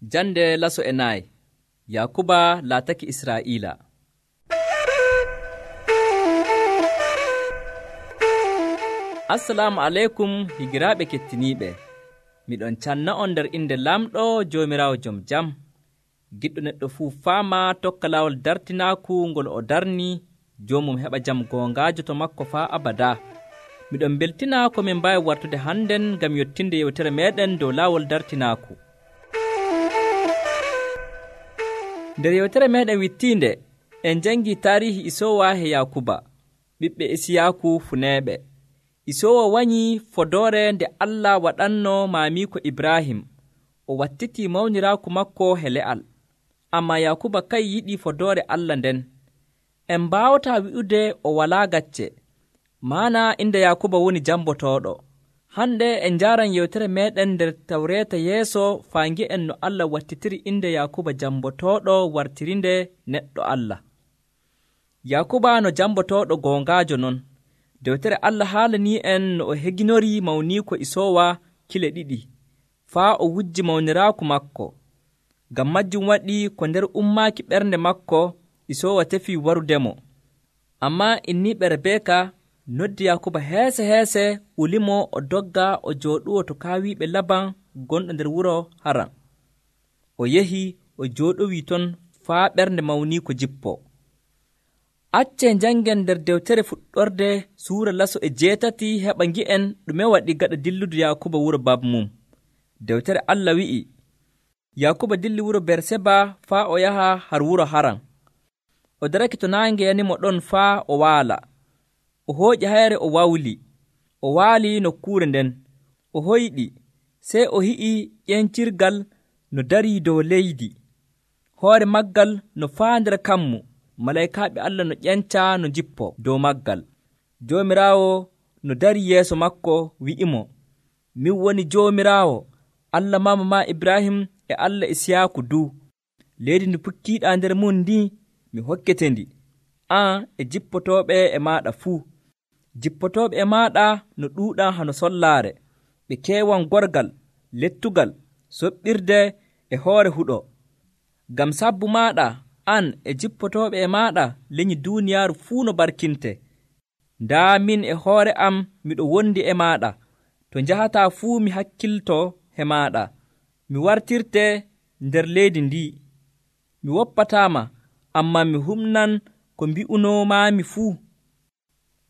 Jande laso e nayi. Yakuba laataki Israa'iila. Assalamu aleykum higiraaɓe kettiniiɓe. Miɗon canna on nder inde lamɗo Joomiraawo jom jam. Giɗɗo neɗɗo fuu faama tokka laawol dartinaaku ngol o darni, joomum heɓa jam goongaajo to makko faa abadaa. Miɗon beltina ko min mbaawi wartude hannden ngam yottinde yewtere meeɗen dow laawol dartinaaku. Nder yewtere meeɗen wittiinde, en janngii taarihi Isoowa e Yakuba, ɓiɓɓe Isiyaaku funeeɓe. Isoowa wanyii fodoore nde Allah waɗanno maamiiko Ibrahim, o wattitii mawniraaku makko he le'al. Ammaa Yakuba kay yiɗii fodoore Allah nden. En mbaawataa wi'ude o walaa gacce, maana innde Yakuba woni jambotooɗo. Hande en njaaran yewtere meeɗen nder Tawreeta yeeso faa ngi'en no Allah wattitiri innde Yakuba jambotooɗo wartirinde neɗɗo Allah. Yakuba no jambotooɗo goongaajo non. Dewtere Allah haalanii en no o heginori mawniiko Isoowa kile ɗiɗi, faa o wujji mawniraaku makko. Ngam majjum waɗi ko nder ummaaki ɓernde makko, Isoowa tefii warudemo. Ammaa inniiɓe Rebeeka noddi Yakuba heese ulimo o dogga o jooɗuwo to kaawiiɓe Laban gonɗo nder wuro Haran. O yehi o jooɗowii ton faa ɓernde mawniiko jippo. Accee njanngen nder dewtere fuɗɗorde suura laso e 8 heɓa ngi'en ɗume waɗi gaɗa dilludu Yakuba wuro baba mum. Dewtere Allah wi'i, Yakuba dilli wuro Berseba faa o yaha har wuro Haran. O darake to naange yanimo ɗon faa o waala. O hooƴi hayre o wawli. O waali nokkuure nden. O hoyɗi, sey o hi'i ƴencirgal no darii dow leydi. Hoore maggal no faa nder kammu. Malaykaaɓe Allah no ƴenca no jippo dow maggal. Joomiraawo no darii yeeso makko wi'imo, min woni Joomiraawo, Allah maama ma Ibrahim e Allah Isiyaaku du. Leydi ndi pukkiiɗaa nder mum ndi, mi hokkete ndi, an e jippotooɓe e maaɗa fuu. Jippotooɓe e maaɗa no ɗuuɗaa hano sollaare, ɓe keewan gorgal, lettugal, soɓɓirde e hoore huɗo. Ngam sabbu maaɗa, an e jippotooɓe e maaɗa lenyi duuniyaaru fuu no barkinte. Ndaa min e hoore am miɗo wondi e maaɗa, to njahataa fuu mi hakkiltoo he maaɗa. Mi wartirte nder leydi ndi. Mi woppataama, ammaa mi humnan ko mbi'unoomaami fuu.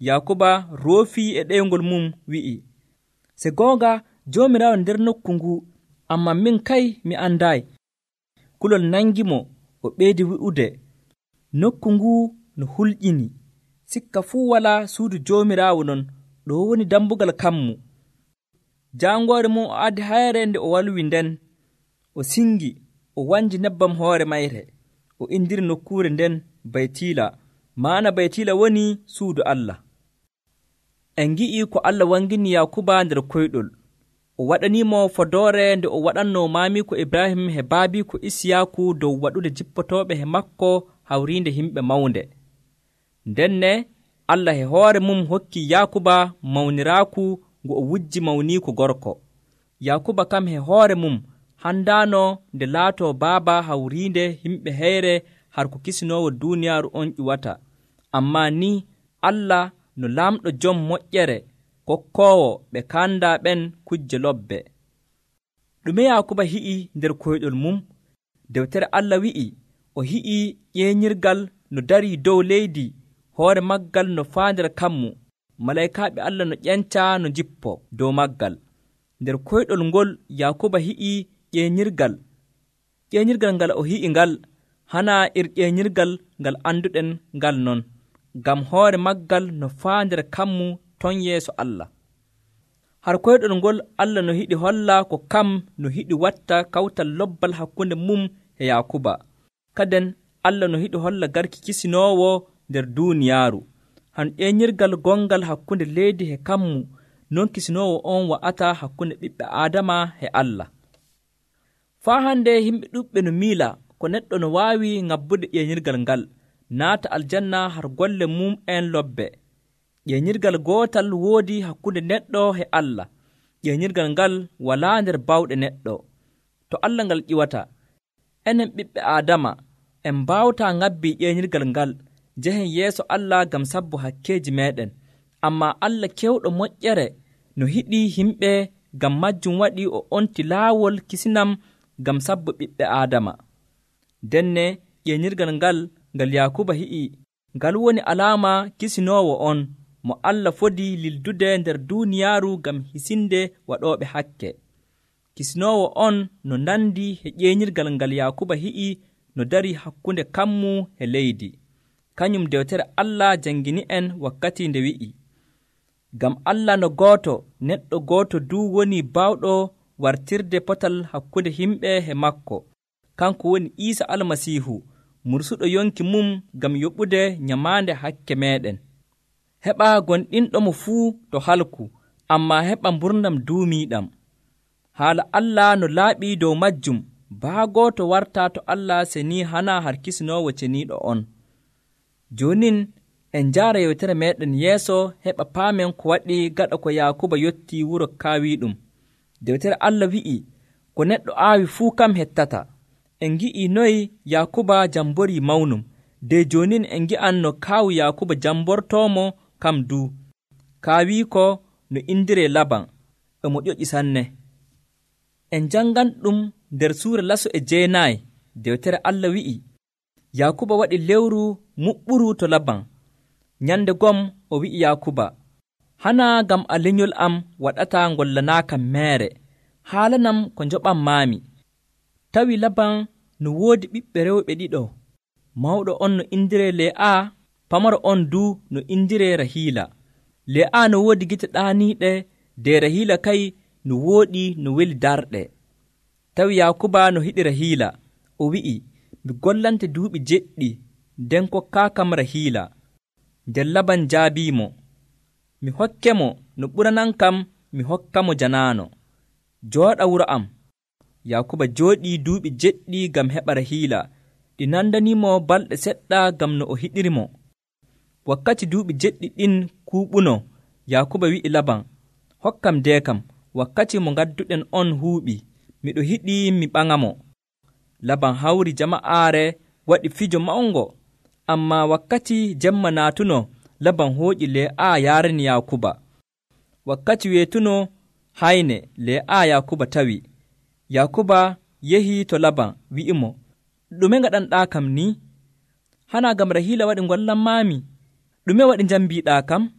Yakuba roofii e ɗeyngol mum wi'i, se goonga Joomiraawo nder nokku ngu, ammaa min kay mi andaayi. Kulol nangimo, o ɓeydi wi'ude, nokku ngu no hulƴini. Sikka fuu walaa suudu Joomiraawo non, ɗo woni dambugal kammu. Jaangoore mum o addi hayre nde o walwi nden. O singi, o wanji nebbam hoore mayre. O indiri nokkuure nden Baytiila, maana Baytiila woni suudu Allah. En ngi'ii ko Allah wangini Yakuba nder koyɗol. O waɗaniimo fodoore nde o waɗanno maamiiko Ibrahim he baabiiko Isiyaaku dow waɗude jippotooɓe he makko hawriinde himɓe mawnde. Ndenne Allah he hoore mum hokki Yakuba mawniraaku ngu o wujji mawniiko gorko. Yakuba kam he hoore mum handaano nde laatoo baaba hawriinde himɓe heyre har ko kisinoowo duuniyaaru on ƴuwata. Ammaa ni Allah no laamɗo jom moƴƴere kokkoowo ɓe kaandaa ɓen kujje lobbe. Ɗume Yakuba hi'i nder koyɗol mum? Dewtere Allah wi'i, o hi'i ƴeeñirgal no darii dow leydi, hoore maggal no faa nder kammu. Malaykaaɓe Allah no ƴenca no jippo dow maggal. Nder koyɗol ngol Yakuba hi'i ƴeeñirgal. Ƴeeñirgal ngal o hi'i ngal hana ƴeeñirgal ngal annduɗen ngal non, ngam hoore maggal no faa nder kammu ton yeeso Allah. Har koyɗol ngol Allah no hiɗi holla ko kam no hiɗi watta kawtal lobbal hakkunde mum e Yakuba. Kaden Allah no hiɗi holla garki kisinoowo nder duuniyaaru. Han ƴeeñirgal gongal hakkunde leydi he kammu, non kisinoowo on wa'ata hakkunde ɓiɓɓe Aadama e Allah. Faa hande yimɓe ɗuɓɓe no miila ko neɗɗo no waawi ŋabbude ƴeeñirgal ngal, naata aljanna har golle mum en lobbe. Ƴeeñirgal gootal woodi hakkunde neɗɗo e Allah. Ƴeeñirgal ngal walaa nder bawɗe neɗɗo. To Allah ngal ƴiwata, enen ɓiɓɓe Aadama en mbaawataa ŋabbii ƴeeñirgal ngal njehen yeeso Allah ngam sabbu hakkeeji meeɗen. Ammaa Allah kewɗo moƴƴere no hiɗii himɓe, ngam majjum waɗii o onti laawol kisinam ngam sabbu ɓiɓɓe Aadama. Denne ƴeeñirgal ngal Yaakuba hi'i, ngal woni alaama kisinoowo on mo Allah fodii lildude nder duuniyaaru ngam hisinde waɗooɓe hakke. Kisinoowo on no nandi e ƴeeñirgal ngal Yaakuba hi'i no darii hakkunde kammu e leydi. Kañum dewtere Allah janngini en wakkati nde wi'i, ngam Allah no gooto, neɗɗo gooto duu woni baawɗo wartirde potal hakkunde himɓe e makko, kanko woni Iisa Almasiihu, mursuɗo yonki mum ngam yoɓude nyamaande hakke meeɗen. Heɓaa gonɗinɗomo fuu to halku, ammaa heɓa mburnam duumiiɗam. Haala Allah no laaɓii dow majjum, baagooto to wartaa to Allah seni hana har kisinoowo ceniiɗo on. Joonin en njaara yewtere meeɗen yeeso heɓa paamen ko waɗi gaɗa ko Yaakuba yottii wuro kaawiiɗum. Dewtere Allah wi'i, ko neɗɗo aawi fuu kam hettata. En ngi'ii noyi Yaakuba jamborii mawnum, de joonin en ngi'an no kaawu Yaakuba jambortoomo kam duu. Kaawiiko no indiree Laban, emo ƴoƴi sanne. En janngan ɗum nder suura laso e 9. Dewtere Allah wi'i, Yaakuba waɗi lewru muɓɓuru to Laban. Nyande gom o wi'i Yaakuba, hana ngam a lenyol am waɗataa ngollanaakam meere, haalanam ko njoɓanmaami. Tawi Laban no woodi ɓiɓɓe rewɓe ɗiɗo, mawɗo on no indiree Le'a, pamaro on duu no indiree Rahiila. Le'a no woodi gite ɗaaniiɗe, de Rahiila kay no wooɗi no weli darɗe. Tawi Yaakuba no hiɗi Rahiila, o wi'i, mi gollante duuɓi 7 nden kokkaakam Rahiila. Nden Laban jaabiimo, mi hokke mo no ɓuranankam mi hokka mo janaano. Jooɗa wuro am. Yaakuba jooɗii duuɓi 7 ngam heɓa Rahiila, ɗi nandaniimo balɗe seɗɗa ngam no o hiɗirimo. Wakkati duuɓi 7 ɗin kuuɓuno, Yaakuba wi'i Laban, hokkam deekam, wakkati mo ngadduɗen on huuɓi, miɗo hiɗii mi ɓaŋamo. Laban hawri jama'aare waɗi fijo mawngo, ammaa wakkati jemma naatuno, Laban hooƴi Le'a yaarani Yaakuba. Wakkati weetuno hayne, Le'a Yaakuba tawi. Yaakuba yehii to Laban wi'imo, ɗume ngaɗanɗaa kam ni? Hana ngam Rahiila waɗi ngollanmaami? Ɗume waɗi njambiiɗaa kam?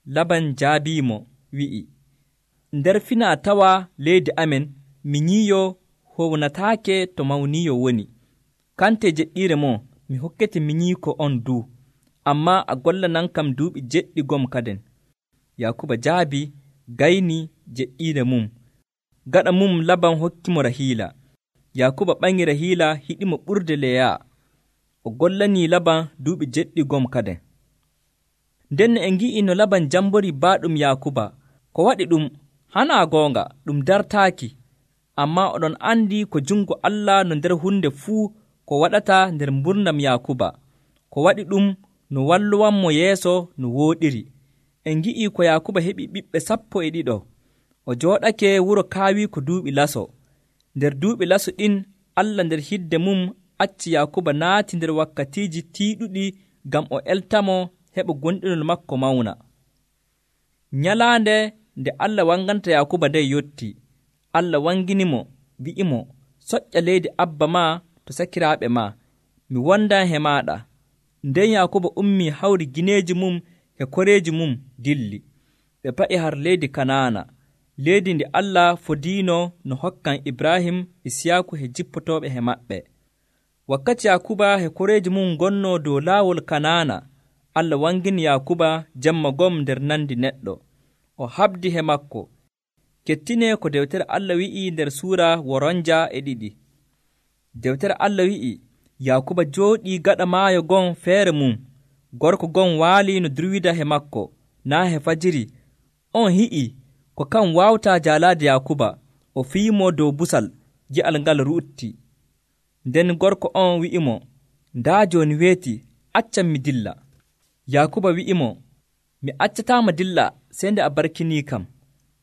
Laban jaabiimo wi'i, nder finaa tawa leydi amen, mi nyiiyo hownataake to mawniyo woni. Kante jeɗɗiire mo, mi hokkete mi nyiiko on duu, ammaa a gollanankam duuɓi 7 gom kaden. Yaakuba jaabi, gayni jeɗɗiire mum. Gaɗa mum Laban hokkimo Rahiila. Yaakuba ɓaŋi Rahiila hiɗimo ɓurde Leya. O gollanii Laban duuɓi 7 gom kaden. Nden en ngi'i no Laban jamborii baaɗum Yaakuba. Ko waɗi ɗum, hanaa goonga, ɗum dartaaki. Ammaa oɗon andi ko jungo Allah no nder hunde fuu ko waɗata nder mburnam Yaakuba. Ko waɗi ɗum no walluwanmo yeeso no wooɗiri. En ngi'i ko Yaakuba heɓi ɓiɓɓe 12. O jooɗake wuro kaawiiko duuɓi laso. Nder duuɓi laso ɗin, Allah nder hidde mum acci Yaakuba naati nder wakkatiiji tiiɗuɗi ngam o eltamo heɓa gonɗinol makko mawna. Nyalaande nde Allah wanganta Yaakuba nden yotti, Allah wanginimo wi'imo, soƴƴa leydi abba ma to sakiraaɓe ma, mi wondan he maaɗa. Nden Yaakuba ummii hawri gineeji mum e koreeji mum dilli. Ɓe pa'i har leydi Kanaana, leydi ndi Allah fodiino no hokkan Ibrahim, Isiyaaku he jippotooɓe he maɓɓe. Wakkati Yaakuba he koreeji mum ngonnoo dow laawol Kanaana, Allah wangini Yaakuba jemma gom nder nandi neɗɗo. O habdi he makko. Kettinee ko dewtere Allah wi'i nder suura 42. Dewtere Allah wi'i, Yaakuba jooɗii gaɗa maayo gon feere mum. Gorko gon waali no durwida he makko, naa he fajiri. On hi'i ko kan waawtaa jaalaade Yaakuba. O fiimo dow busal, gi'al ngal ruutti. Nden gorko on wi'imo, ndaa jooni weeti, accam mi dilla. Yaakuba wi'imo, mi accataama dilla sey nde a barkinii kam.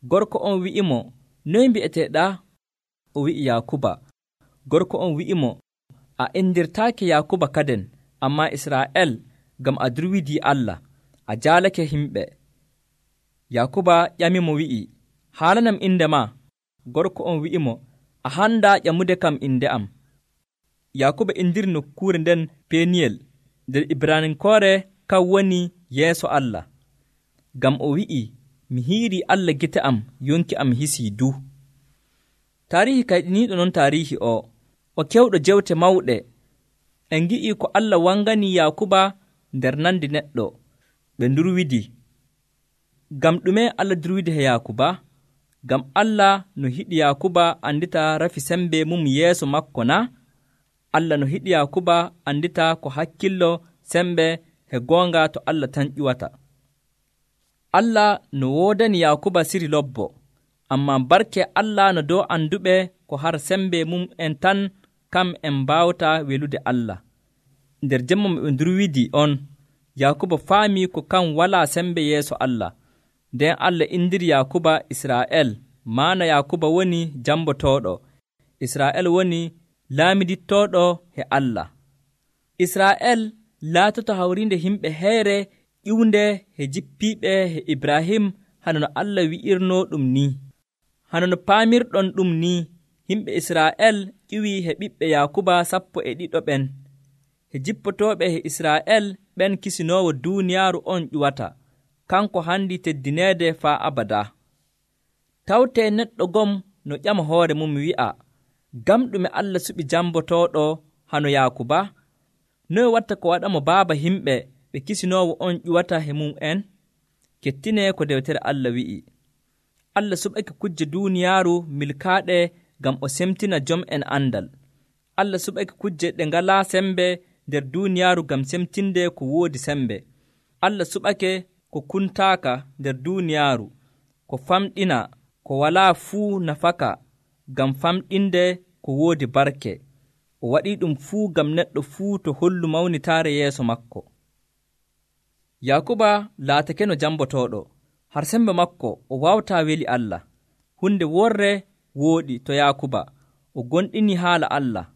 Gorko on wi'imo, noy mbi'eteeɗaa? O wi'i Yaakuba. Gorko on wi'imo, a indirtaake Yakuba kaden, ammaa Israa'el ngam a durwidii Allah, a jaalake himɓe. Yakuba ƴamimo wi'i, haalanam inde maa. Gorko on wi'imo, a handaa ƴamude kam inde am. Yakuba indiri nokkuure nden Peniyel, nder Ibraninkoore kan woni yeeso Allah. Ngam o wi'i, mi hiirii Allah gite am, yonki am hisii du. Taarihi kayɗiniiɗo non taarihi o kewɗo jewte mawɗe. En ngi'ii ko Allah wanganii Yakuba nder nandi neɗɗo, ɓe ndurwidi. Ngam ɗume Allah durwidi he Yakuba? Ngam Allah no hiɗi Yakuba andita rafi sembe mum yeeso makko na? Allah no hiɗi Yakuba andita ko hakkillo sembe he goonga to Allah tan ƴuwata. Allah no woodani Yakuba siri lobbo, ammaa barke Allah no dow anduɓe ko har sembe mum en tan kam en mbaawata welude Allah. Nder jemma mo ɓe ndurwidi on, Yakuba faamii ko kan walaa sembe yeeso Allah. Nden Allah indiri Yakuba Israa'el, maana Yakuba woni jambotooɗo, Israa'el woni laamidittooɗo he Allah. Israa'el laatoto hawriinde himɓe heyre ƴiwnde he jippiiɓe he Ibrahim, hano no Allah wi'irnoo ɗum ni. Hano no paamirɗon ɗum ni, himɓe Israa'el ƴiwii he ɓiɓɓe Yakuba 12 ɓen. He jippotooɓe he Israa'el ɓen kisinoowo duuniyaaru on ƴuwata, kanko handi teddineede faa abada. Tawtee neɗɗo gom no ƴama hoore mum wi'a, ngam ɗume Allah suɓi jambotooɗo hano Yakuba? Noye watta ko waɗamo baaba himɓe ɓe kisinoowo on ƴuwata he mum en? Kettinee ko dewtere Allah wi'i. Allah suɓake kujje duuniyaaru milkaaɗe ngam o semtina jom en andal. Allah suɓake kujje ɗe ngalaa sembe nder duuniyaaru ngam semtinde ko woodi sembe. Allah suɓake ko kuntaaka nder duuniyaaru, ko famɗina, ko walaa fuu nafaka ngam famɗinde ko woodi barke. O waɗii ɗum fuu ngam neɗɗo fuu to hollu mawnitaare yeeso makko. Yakuba laatake no jambotooɗo, har sembe makko o waawataa weli Allah. Hunde worre wooɗi to Yakuba, o gonɗini haala Allah.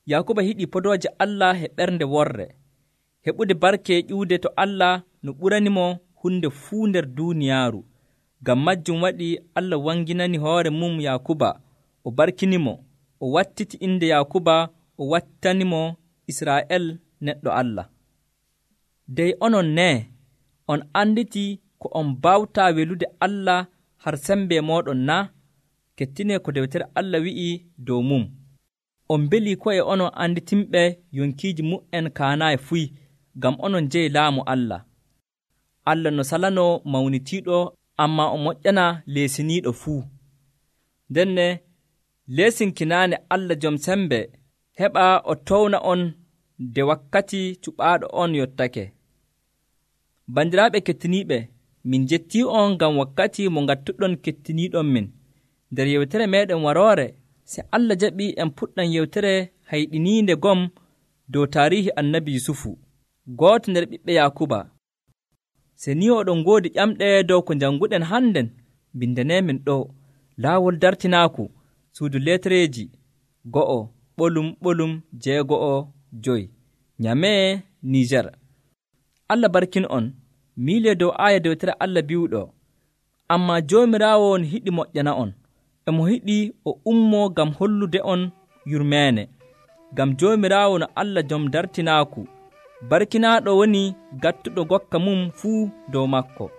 Yakuba hiɗi podooje Allah he ɓernde worre, heɓude barke ƴiwde to Allah no ɓuranimo hunde fuu nder duuniyaaru. Ngam majjum waɗi Allah wanginani hoore mum Yakuba, o barkinimo, o wattiti inde Yakuba, o wattanimo Israa'el neɗɗo Allah. Dey onon ne, on anditi ko on bawtaa welude Allah har sembe mooɗon na? Kettinee ko dewtere Allah wi'i dow mum. On mbelii ko'e onon anditimɓe yonkiiji mu'en kaanaayi fuy, ngam onon jeyi laamu Allah. Allah no salanoo mawnitiiɗo, ammaa o moƴƴana leesiniiɗo fuu. Ndenne leesinkinaane Allah jom sembe heɓa o towna on nde wakkati cuɓaaɗo on yottake. Bandiraaɓe kettiniiɓe, min jettii on ngam wakkati mo ngattuɗon kettiniiɗon min. Nder yewtere meeɗen waroore, se Allah jaɓii en puɗɗan yewtere hayɗiniinde gom dow taarihi annabi Yusufu, gooto nder ɓiɓɓe Yakuba. Se ni oɗon ngoodi ƴamɗe dow ko njannguɗen hannden, bindaneemin ɗo laawol dartinaaku, suudu lettereeji 1:6-5 Nyamee, Niger. Allah barkin on, miile dow aaya dewtere Allah biwɗo, ammaa Joomiraawo no hiɗi moƴƴana on, emo hiɗi o ummoo ngam hollude on yurmeene. Ngam Joomiraawo no Allah jom dartinaaku, barkinaaɗo woni gattuɗo gokka mum fuu dow makko.